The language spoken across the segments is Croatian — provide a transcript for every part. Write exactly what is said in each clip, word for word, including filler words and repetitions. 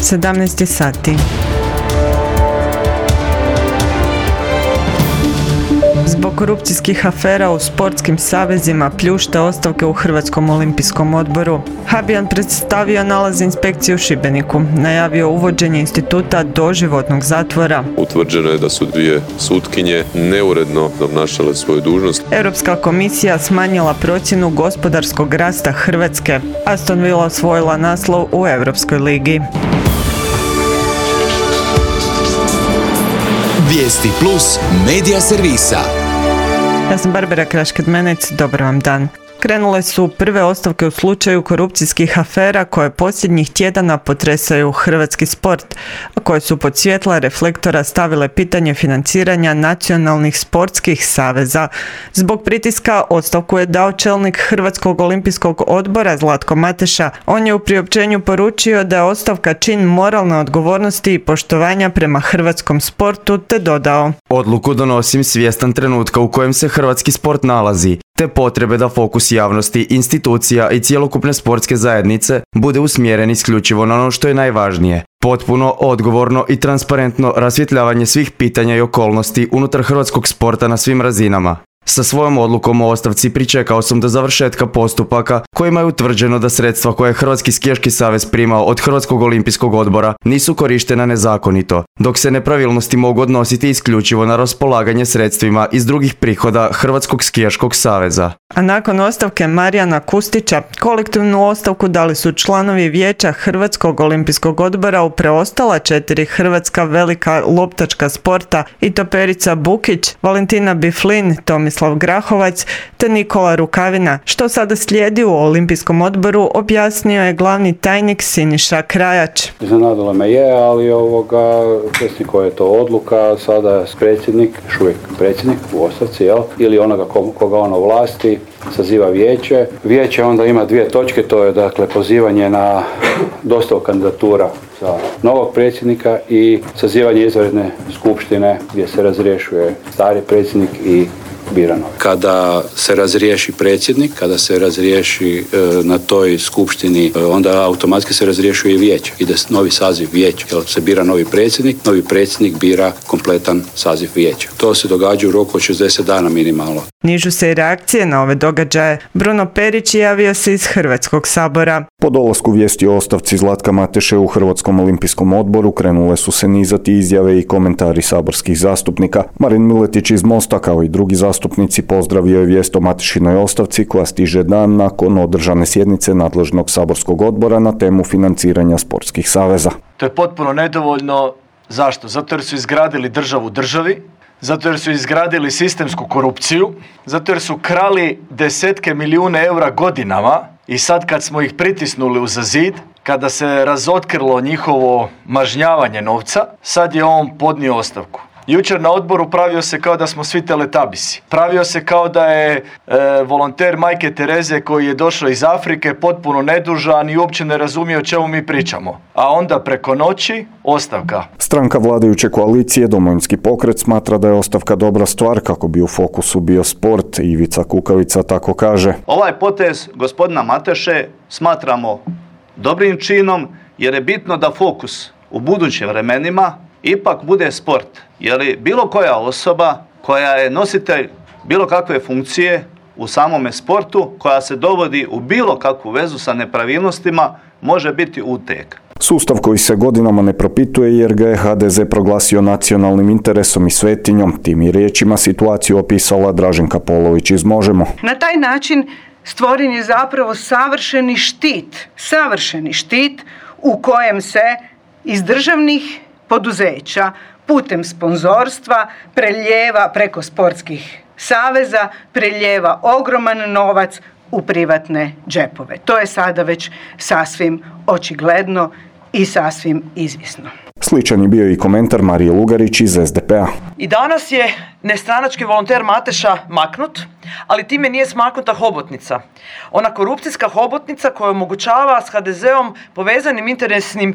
sedamnaest sati. Zbog korupcijskih afera u sportskim savezima pljušta ostavke u Hrvatskom olimpijskom odboru. Habijan predstavio nalaz inspekcije u Šibeniku, najavio uvođenje instituta doživotnog zatvora. Utvrđeno je da su dvije sutkinje neuredno obnašale svoju dužnost. Europska komisija smanjila procjenu gospodarskog rasta Hrvatske. Aston Villa osvojila naslov u Europskoj ligi. Vijesti plus medija servisa. Ja sam Barbara Krašked-Menec, dobar vam dan. Krenule su prve ostavke u slučaju korupcijskih afera koje posljednjih tjedana potresaju hrvatski sport, a koje su pod svjetla reflektora stavile pitanje financiranja nacionalnih sportskih saveza. Zbog pritiska ostavku je dao čelnik Hrvatskog olimpijskog odbora Zlatko Mateša. On je u priopćenju poručio da je ostavka čin moralne odgovornosti i poštovanja prema hrvatskom sportu, te dodao: Odluku donosim svjestan trenutka u kojem se hrvatski sport nalazi, te potrebe da fokus javnosti, institucija i cjelokupne sportske zajednice bude usmjeren isključivo na ono što je najvažnije. Potpuno, odgovorno i transparentno rasvjetljavanje svih pitanja i okolnosti unutar hrvatskog sporta na svim razinama. Sa svojom odlukom o ostavci pričekao sam do završetka postupaka kojima je utvrđeno da sredstva koje je Hrvatski skijaški savez primao od Hrvatskog olimpijskog odbora nisu korištena nezakonito, dok se nepravilnosti mogu odnositi isključivo na raspolaganje sredstvima iz drugih prihoda Hrvatskog skijaškog saveza. A nakon ostavke Marijana Kustića, kolektivnu ostavku dali su članovi vijeća Hrvatskog olimpijskog odbora u preostala četiri hrvatska velika loptačka sporta i to Perica Bukić, Valentina Biflin, Tomislav Grahovac te Nikola Rukavina. Što sada slijedi u Olimpijskom odboru, objasnio je glavni tajnik Siniša Krajač. Iznenadilo me je, ali ovoga, svjesni koja je to odluka, sada predsjednik, još uvijek predsjednik u ostavci, jel? Ili onoga koga ono vlasti, saziva vijeće. Vijeće onda ima dvije točke, to je dakle pozivanje na dostavu kandidatura za novog predsjednika i sazivanje izvanredne skupštine gdje se razrješuje stari predsjednik i bira novi. Kada se razriješi predsjednik, kada se razriješi e, na toj skupštini, e, onda automatski se razriješuje i vijeće. Ide novi saziv vijeća. Jer se bira novi predsjednik, novi predsjednik bira kompletan saziv vijeća. To se događa u roku od šezdeset dana minimalno. Nižu se i reakcije na ove događaje. Bruno Perić javio se iz Hrvatskog sabora. Po dolasku vijesti o ostavci Zlatka Mateše u Hrvatskom olimpijskom odboru krenule su se nizati izjave i komentari saborskih zastupnika. Marin Miletić iz Mosta kao i drugi zastupnici pozdravio je vijest o Matešinoj ostavci koja stiže dan nakon održane sjednice nadležnog saborskog odbora na temu financiranja sportskih saveza. To je potpuno nedovoljno. Zašto? Zato jer su izgradili državu državi, zato jer su izgradili sistemsku korupciju, zato jer su krali desetke milijune eura godinama i sad kad smo ih pritisnuli uza zid, kada se razotkrilo njihovo mažnjavanje novca, sad je on podnio ostavku. Jučer na odboru pravio se kao da smo svi teletabisi. Pravio se kao da je e, volonter Majke Tereze koji je došao iz Afrike potpuno nedužan i uopće ne razumije o čemu mi pričamo. A onda preko noći ostavka. Stranka vladajuće koalicije Domovinski pokret smatra da je ostavka dobra stvar kako bi u fokusu bio sport. Ivica Kukavica tako kaže. Ovaj potez gospodina Mateše smatramo dobrim činom jer je bitno da fokus u budućim vremenima ipak bude sport. Jer bilo koja osoba koja je nositelj bilo kakve funkcije u samome sportu, koja se dovodi u bilo kakvu vezu sa nepravilnostima, može biti uteg. Sustav koji se godinama ne propituje jer ga je ha de ze proglasio nacionalnim interesom i svetinjom. Tim je riječima situaciju opisala Draženka Polović iz Možemo. Na taj način stvoren je zapravo savršeni štit, savršeni štit u kojem se iz državnih poduzeća putem sponzorstva preljeva preko sportskih saveza, preljeva ogroman novac u privatne džepove. To je sada već sasvim očigledno i sasvim izvisno. Sličan je bio i komentar Marije Lugarić iz es de pe a. I danas je nestranački volonter Mateša maknut, ali time nije smaknuta hobotnica. Ona korupcijska hobotnica koja omogućava s ha de zeom povezanim interesnim e,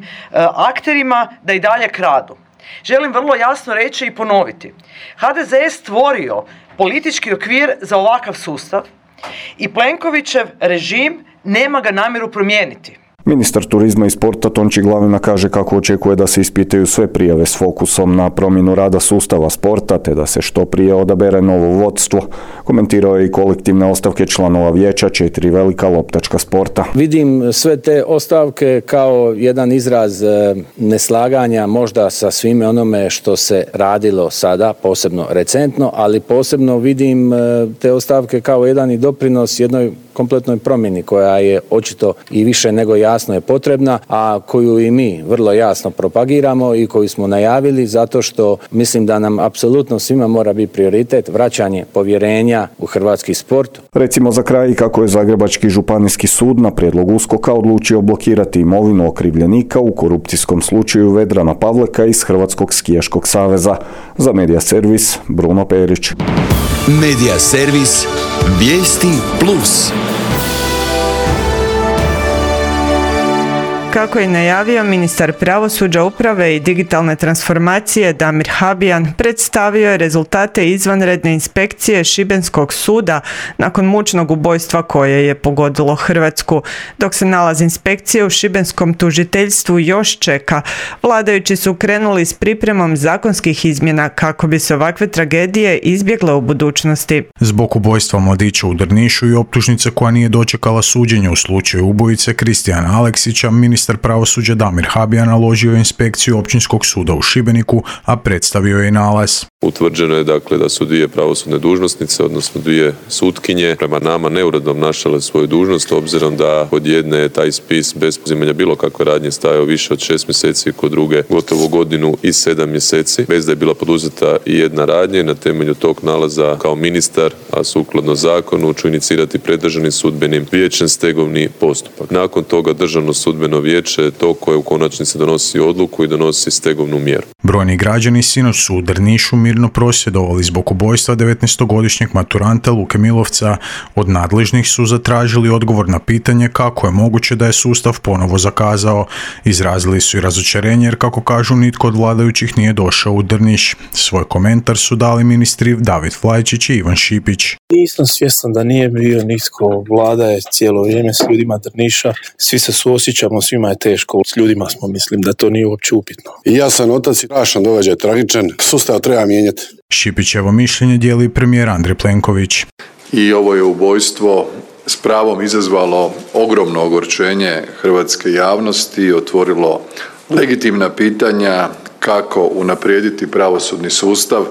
akterima da i dalje kradu. Želim vrlo jasno reći i ponoviti. ha de ze je stvorio politički okvir za ovakav sustav i Plenkovićev režim nema ga namjeru promijeniti. Ministar turizma i sporta Tonči Glavina kaže kako očekuje da se ispitaju sve prijave s fokusom na promjenu rada sustava sporta te da se što prije odabere novo vodstvo. Komentirao je i kolektivne ostavke članova vijeća četiri velika loptačka sporta. Vidim sve te ostavke kao jedan izraz neslaganja možda sa svime onome što se radilo sada, posebno recentno, ali posebno vidim te ostavke kao jedan i doprinos jednoj kompletnoj promjeni koja je očito i više nego jasno je potrebna, a koju i mi vrlo jasno propagiramo i koju smo najavili zato što mislim da nam apsolutno svima mora biti prioritet vraćanje povjerenja u hrvatski sport. Recimo za kraj kako je Zagrebački županijski sud na prijedlog USKOK-a odlučio blokirati imovinu okrivljenika u korupcijskom slučaju Vedrana Pavleka iz Hrvatskog skijaškog saveza. Za Medija servis Bruno Perić. Medija servis Vijesti plus. Kako je najavio ministar pravosuđa, uprave i digitalne transformacije Damir Habijan, predstavio je rezultate izvanredne inspekcije Šibenskog suda nakon mučnog ubojstva koje je pogodilo Hrvatsku. Dok se nalaz inspekcije u šibenskom tužiteljstvu još čeka, vladajući su krenuli s pripremom zakonskih izmjena kako bi se ovakve tragedije izbjegle u budućnosti. Zbog ubojstva mladića u Drnišu i optužnice koja nije dočekala suđenje u slučaju ubojice Kristijana Aleksića, ministar pravosuđa Damir Habijan naložio inspekciju Općinskog suda u Šibeniku, a predstavio je i nalaz. Utvrđeno je dakle da su dvije pravosudne dužnosnice, odnosno dvije sutkinje, prema nama neuredno obnašale svoju dužnost, obzirom da kod jedne je taj spis bez uzimanja bilo kakve radnje stajao više od šest mjeseci, kod druge gotovo godinu i sedam mjeseci, bez da je bila poduzeta i jedna radnja. Na temelju tog nalaza kao ministar, a sukladno zakonu, ću inicirati pred Državnim sudbenim vijećem stegovni postupak. Nakon toga Državno sudbeno vijeće je to koje u konačnici donosi odluku i donosi stegovnu mjeru. Brojni građani sinoć su u Drnišu mirno prosvjedovali zbog ubojstva devetnaestogodišnjeg maturanta Luke Milovca. Od nadležnih su zatražili odgovor na pitanje kako je moguće da je sustav ponovo zakazao. Izrazili su i razočarenje jer, kako kažu, nitko od vladajućih nije došao u Drniš. Svoj komentar su dali ministri David Flajčić i Ivan Šipić. Nisam svjestan da nije bio nitko, vlada je cijelo vrijeme s ljudima Drniša, svi se suosjećamo, svima je teško, s ljudima smo, mislim da to nije uopće upitno. I ja sam otac i strašan događaj, tragičan, sustav treba mijenjati. Šipićevo mišljenje dijeli premijer Andrej Plenković. I ovo je ubojstvo s pravom izazvalo ogromno ogorčenje hrvatske javnosti i otvorilo legitimna pitanja kako unaprijediti pravosudni sustav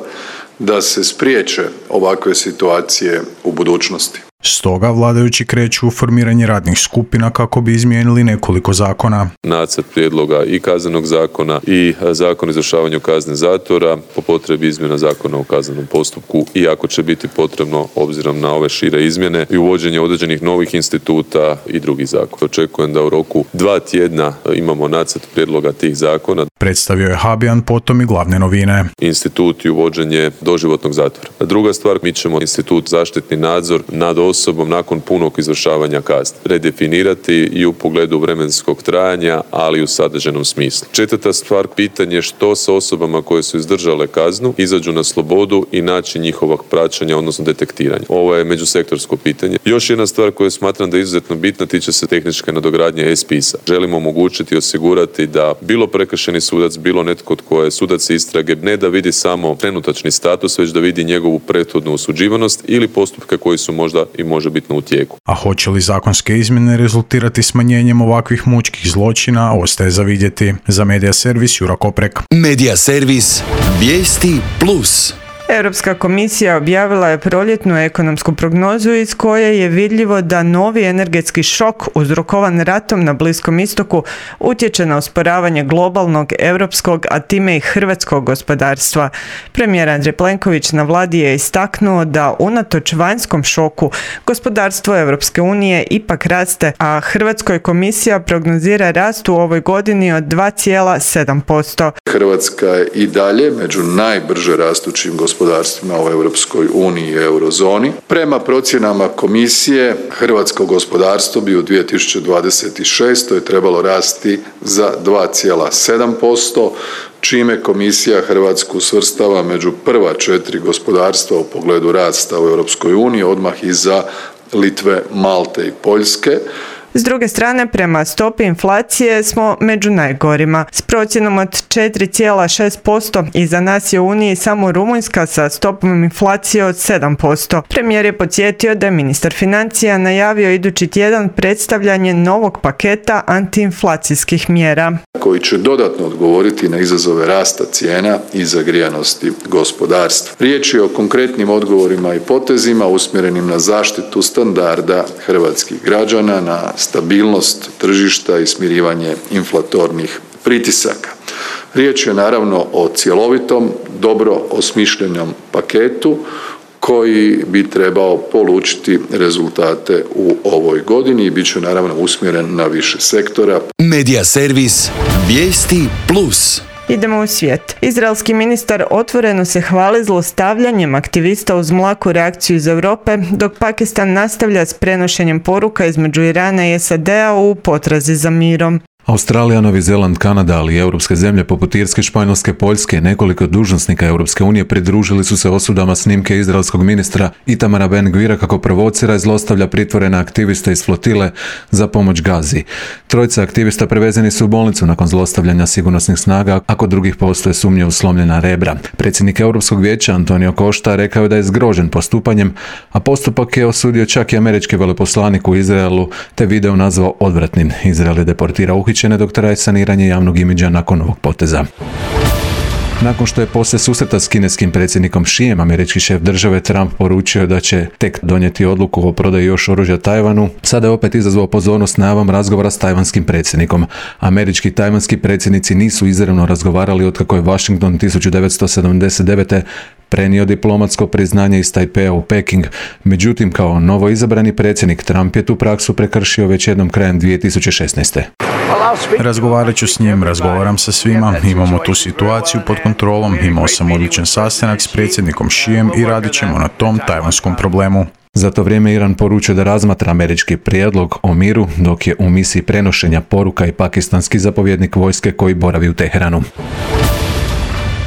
da se spriječe ovakve situacije u budućnosti. Stoga vladajući kreću u formiranje radnih skupina kako bi izmijenili nekoliko zakona. Nacrt prijedloga i kaznenog zakona i zakon o izvršavanju kazne zatvora, po potrebi izmjena zakona o kaznenom postupku i ako će biti potrebno, obzirom na ove šire izmjene, i uvođenje određenih novih instituta i drugih zakona. Očekujem da u roku dva tjedna imamo nacrt prijedloga tih zakona. Predstavio je Habijan potom i glavne novine. Institut i uvođenje doživotnog zatvora. A druga stvar, mi ćemo institut zaštitni nadzor nad osobom nakon punog izvršavanja kazne redefinirati i u pogledu vremenskog trajanja, ali i u sadržajnom smislu. Četvrta stvar, pitanje što sa osobama koje su izdržale kaznu, izađu na slobodu i način njihovog praćenja, odnosno detektiranja. Ovo je međusektorsko pitanje. Još jedna stvar koju smatram da je izuzetno bitna tiče se tehničke nadogradnje e-spisa. Želimo omogućiti i osigurati da bilo prekršajni sudac, bilo netko tko je sudac istrage, ne da vidi samo trenutačni status, već da vidi njegovu prethodnu osuđivanost ili postupke koji su možda i možebitno u tijeku. A hoće li zakonske izmjene rezultirati smanjenjem ovakvih mučkih zločina, ostaje za vidjeti. Za Medija servis Jura Koprek. Medija servis Vijesti plus. Europska komisija objavila je proljetnu ekonomsku prognozu iz koje je vidljivo da novi energetski šok uzrokovan ratom na Bliskom istoku utječe na usporavanje globalnog, europskog, a time i hrvatskog gospodarstva. Premijer Andrej Plenković na vladi je istaknuo da unatoč vanjskom šoku gospodarstvo Europske unije ipak raste, a Hrvatskoj komisija prognozira rast u ovoj godini od dva zarez sedam posto. Hrvatska je i dalje među najbrže rastućim gospodarstvima gospodarstvima u Europskoj uniji i eurozoni. Prema procjenama komisije, hrvatsko gospodarstvo bi u dvije tisuće dvadeset šestoj trebalo rasti za dva zarez sedam posto, čime komisija Hrvatsku svrstava među prva četiri gospodarstva u pogledu rasta u Europskoj uniji, odmah iza Litve, Malte i Poljske. S druge strane, prema stopi inflacije smo među najgorima. S procjenom od četiri zarez šest posto iza nas je u Uniji samo Rumunjska sa stopom inflacije od sedam posto. Premijer je podsjetio da je ministar financija najavio idući tjedan predstavljanje novog paketa antiinflacijskih mjera koji će dodatno odgovoriti na izazove rasta cijena i zagrijanosti gospodarstva. Riječ je o konkretnim odgovorima i potezima usmjerenim na zaštitu standarda hrvatskih građana, na stabilnost tržišta i smirivanje inflatornih pritisaka. Riječ je naravno o cjelovitom, dobro osmišljenom paketu koji bi trebao polučiti rezultate u ovoj godini i bit će naravno usmjeren na više sektora. Medija servis Vijesti Plus. Idemo u svijet. Izraelski ministar otvoreno se hvali zlostavljanjem aktivista uz mlaku reakciju iz Europe, dok Pakistan nastavlja s prenošenjem poruka između Irana i S A D-a u potrazi za mirom. Australija, Novi Zeland, Kanada, ali i europske zemlje poput Irske, Španjolske, Poljske, nekoliko dužnosnika Europske unije pridružili su se osudama snimke izraelskog ministra Itamara Ben-Gvira kako provocira i zlostavlja pritvorene aktiviste iz flotile za pomoć Gazi. Trojica aktivista prevezeni su u bolnicu nakon zlostavljanja sigurnosnih snaga, a kod drugih postoje sumnje u slomljena rebra. Predsjednik Europskog vijeća Antonio Costa rekao je da je zgrožen postupanjem, a postupak je osudio čak i američki veleposlanik u Izraelu, te video nazvao odvratnim. Izrael je deportirao uhićene dok traje saniranje javnog imidža nakon ovog poteza. Nakon što je poslije susreta s kineskim predsjednikom Xijem, američki šef države Trump poručio da će tek donijeti odluku o prodaji još oružja Tajvanu, sada je opet izazvao pozornost najavom razgovora s tajvanskim predsjednikom. Američki i tajvanski predsjednici nisu izravno razgovarali otkako je Washington tisuću devetsto sedamdeset devete prenio diplomatsko priznanje iz Tajpeja u Peking. Međutim, kao novo izabrani predsjednik, Trump je tu praksu prekršio već jednom krajem dvije tisuće šesnaeste. Razgovarat ću s njim, razgovaram sa svima, imamo tu situaciju pod kontrolom, imao sam odličan sastanak s predsjednikom Xijem i radit ćemo na tom tajvanskom problemu. Za to vrijeme Iran poručio da razmatra američki prijedlog o miru, dok je u misiji prenošenja poruka i pakistanski zapovjednik vojske koji boravi u Teheranu.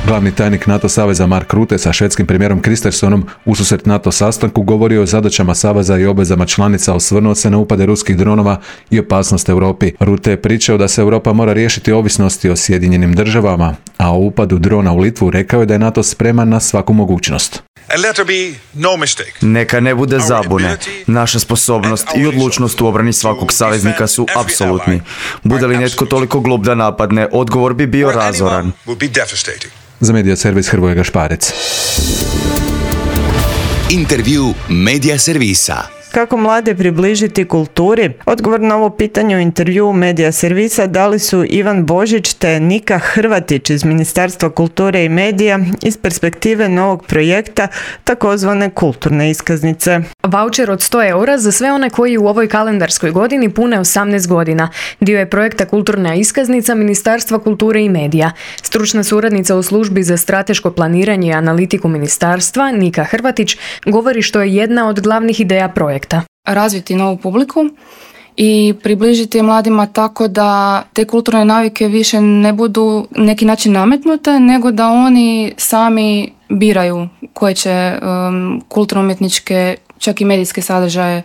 Glavni tajnik NATO saveza Mark Rutte sa švedskim premijerom Kristersonom ususret NATO sastanku govorio o zadaćama saveza i obvezama članica, osvrnuo se na upade ruskih dronova i opasnost Europi. Rutte je pričao da se Europa mora riješiti ovisnosti o Sjedinjenim državama, a o upadu drona u Litvu rekao je da je NATO spreman na svaku mogućnost. Neka ne bude zabune. Naša sposobnost i odlučnost u obrani svakog saveznika su apsolutni. Bude li netko toliko glup da napadne, odgovor bi bio razoran. Za Medija servis Hrvoje Gašparec. Intervju Medija servisa. Kako mlade približiti kulturi? Odgovor na ovo pitanje u intervjuu Medija servisa dali su Ivan Božić te Nika Hrvatić iz Ministarstva kulture i medija iz perspektive novog projekta takozvane kulturne iskaznice. Vaučer od sto eura za sve one koji u ovoj kalendarskoj godini pune osamnaest godina. Dio je projekta Kulturna iskaznica Ministarstva kulture i medija. Stručna suradnica u službi za strateško planiranje i analitiku ministarstva, Nika Hrvatić, govori što je jedna od glavnih ideja projekta. Razviti novu publiku i približiti mladima tako da te kulturne navike više ne budu neki način nametnute, nego da oni sami biraju koje će um, kulturno-umjetničke, čak i medijske sadržaje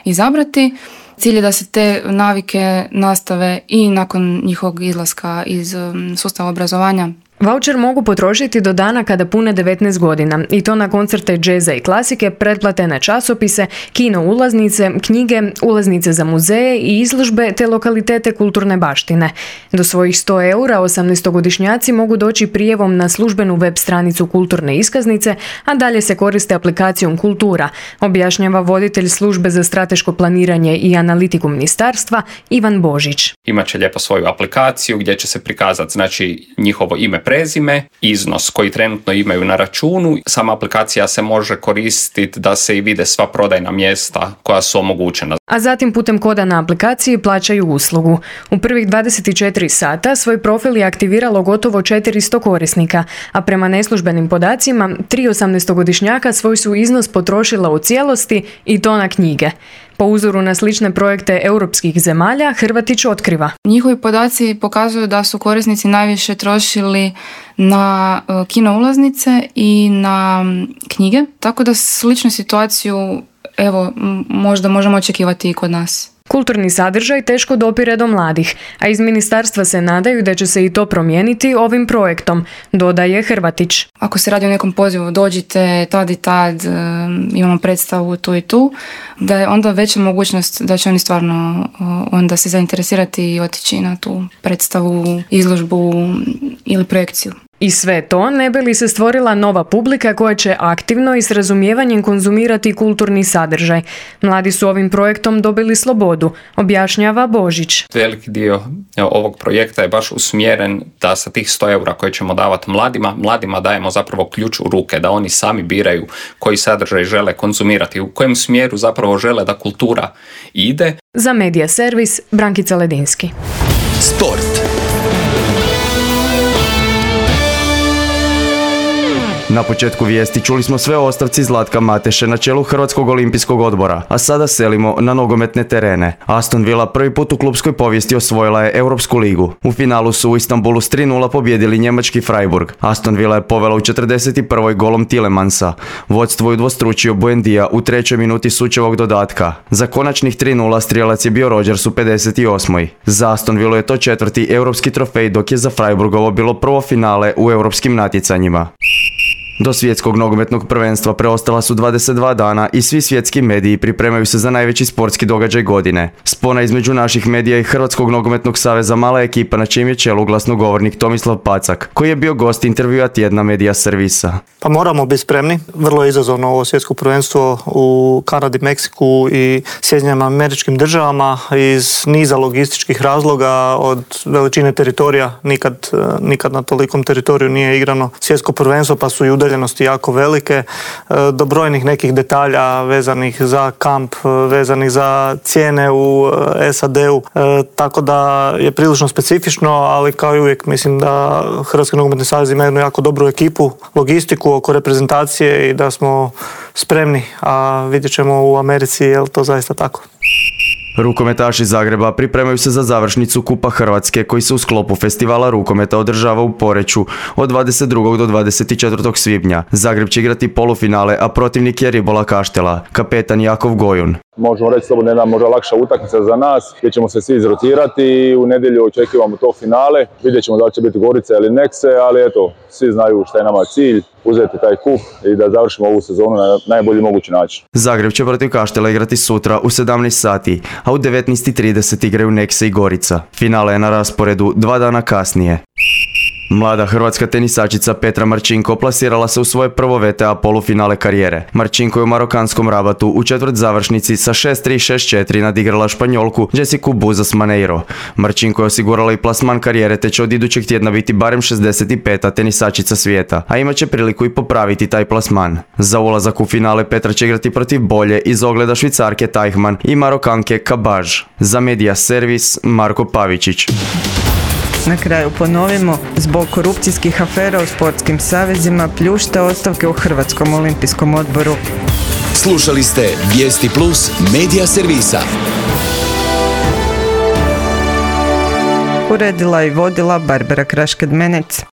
izabrati. Cilj je da se te navike nastave i nakon njihovog izlaska iz um, sustava obrazovanja. Vaučer mogu potrošiti do dana kada pune devetnaest godina i to na koncerte džeza i klasike, pretplate na časopise, kino ulaznice, knjige, ulaznice za muzeje i izložbe te lokalitete kulturne baštine. Do svojih sto eura osamnaestogodišnjaci mogu doći prijevom na službenu web stranicu kulturne iskaznice, a dalje se koriste aplikacijom Kultura, objašnjava voditelj službe za strateško planiranje i analitiku ministarstva Ivan Božić. Imaće lijepo svoju aplikaciju gdje će se prikazati znači njihovo ime, prezime, iznos koji trenutno imaju na računu. Sama aplikacija se može koristiti da se i vide sva prodajna mjesta koja su omogućena. A zatim putem koda na aplikaciji plaćaju uslugu. U prvih dvadeset četiri sata svoj profil je aktiviralo gotovo četiristo korisnika, a prema neslužbenim podacima tri osamnaestogodišnjaka svoj su iznos potrošila u cijelosti i to na knjige. Po uzoru na slične projekte europskih zemalja, Hrvatić otkriva. Njihovi podaci pokazuju da su korisnici najviše trošili na kino ulaznice i na knjige, tako da sličnu situaciju evo možda možemo očekivati i kod nas. Kulturni sadržaj teško dopire do mladih, a iz ministarstva se nadaju da će se i to promijeniti ovim projektom, dodaje Hrvatić. Ako se radi o nekom pozivu, dođite tad i tad, imamo predstavu tu i tu, da je onda veća mogućnost da će oni stvarno onda se zainteresirati i otići na tu predstavu, izložbu ili projekciju. I sve to ne bi li se stvorila nova publika koja će aktivno i s razumijevanjem konzumirati kulturni sadržaj. Mladi su ovim projektom dobili slobodu, objašnjava Božić. Veliki dio ovog projekta je baš usmjeren da sa tih sto eura koje ćemo davati mladima, mladima dajemo zapravo ključ u ruke, da oni sami biraju koji sadržaj žele konzumirati, u kojem smjeru zapravo žele da kultura ide. Za Medija servis, Brankica Ledinski. Sport. Na početku vijesti čuli smo sve o ostavci Zlatka Mateše na čelu Hrvatskog olimpijskog odbora, a sada selimo na nogometne terene. Aston Villa prvi put u klubskoj povijesti osvojila je Europsku ligu. U finalu su u Istanbulu s tri nula pobjedili njemački Freiburg. Aston Villa je povela u četrdeset prvoj golom Tielemannsa. Vodstvo je udvostručio Buendija u trećoj minuti sučevog dodatka. Za konačnih tri nula strijelac je bio Rodgers u pedeset osmoj. Za Aston Villa je to četvrti europski trofej, dok je za Freiburgovo bilo prvo finale u europskim natjecanjima. Do svjetskog nogometnog prvenstva preostala su dvadeset dva dana i svi svjetski mediji pripremaju se za najveći sportski događaj godine. Spona između naših medija i Hrvatskog nogometnog saveza mala ekipa na čijem je čelu glasnogovornik Tomislav Pacak, koji je bio gost intervjua tjedna Medija servisa. Pa moramo biti spremni. Vrlo je izazovno ovo svjetsko prvenstvo u Kanadi, Meksiku i Sjedinjenim Američkim Državama iz niza logističkih razloga, od veličine teritorija. Nikad, nikad na tolikom teritoriju nije igrano svjetsko prvenstvo, pa su i udaljenosti jako velike, do brojnih nekih detalja vezanih za kamp, vezanih za cijene u S A D-u, tako da je prilično specifično, ali kao i uvijek mislim da Hrvatski nogometni savez ima jednu jako dobru ekipu, logistiku oko reprezentacije i da smo spremni, a vidjet ćemo u Americi je li to zaista tako. Rukometaši Zagreba pripremaju se za završnicu Kupa Hrvatske koji se u sklopu festivala rukometa održava u Poreču od dvadeset drugog do dvadeset četvrtog svibnja. Zagreb će igrati polufinale, a protivnik je Ribola Kaštela, kapetan Jakov Gojun. Možemo reći slobodno jedna možda lakša utakmica za nas, gdje ćemo se svi izrotirati i u nedjelju očekivamo to finale. Vidjet ćemo da li će biti Gorica ili Nekse, ali eto, svi znaju šta je nama cilj, uzeti taj kup i da završimo ovu sezonu na najbolji mogući način. Zagreb će protiv Kaštela igrati sutra u sedamnaest sati, a u devetnaest i trideset igraju Nekse i Gorica. Finale je na rasporedu dva dana kasnije. Mlada hrvatska tenisačica Petra Marčinko plasirala se u svoje prvo V T A polufinale karijere. Marčinko je u marokanskom Rabatu u četvrt završnici sa šest tri šest četiri nadigrala Španjolku Jessicu Buzas Maneiro. Marčinko je osigurala i plasman karijere te će od idućeg tjedna biti barem šezdeset peta tenisačica svijeta, a imat će priliku i popraviti taj plasman. Za ulazak u finale Petra će igrati protiv bolje iz ogleda Švicarke Teichmann i Marokanke Kabaž. Za Medija servis Marko Pavičić. Na kraju ponovimo, zbog korupcijskih afera u sportskim savezima pljušte ostavke u Hrvatskom olimpijskom odboru. Slušali ste Vijesti Plus Medija servisa. Uredila i vodila Barbara Krašked-Menec.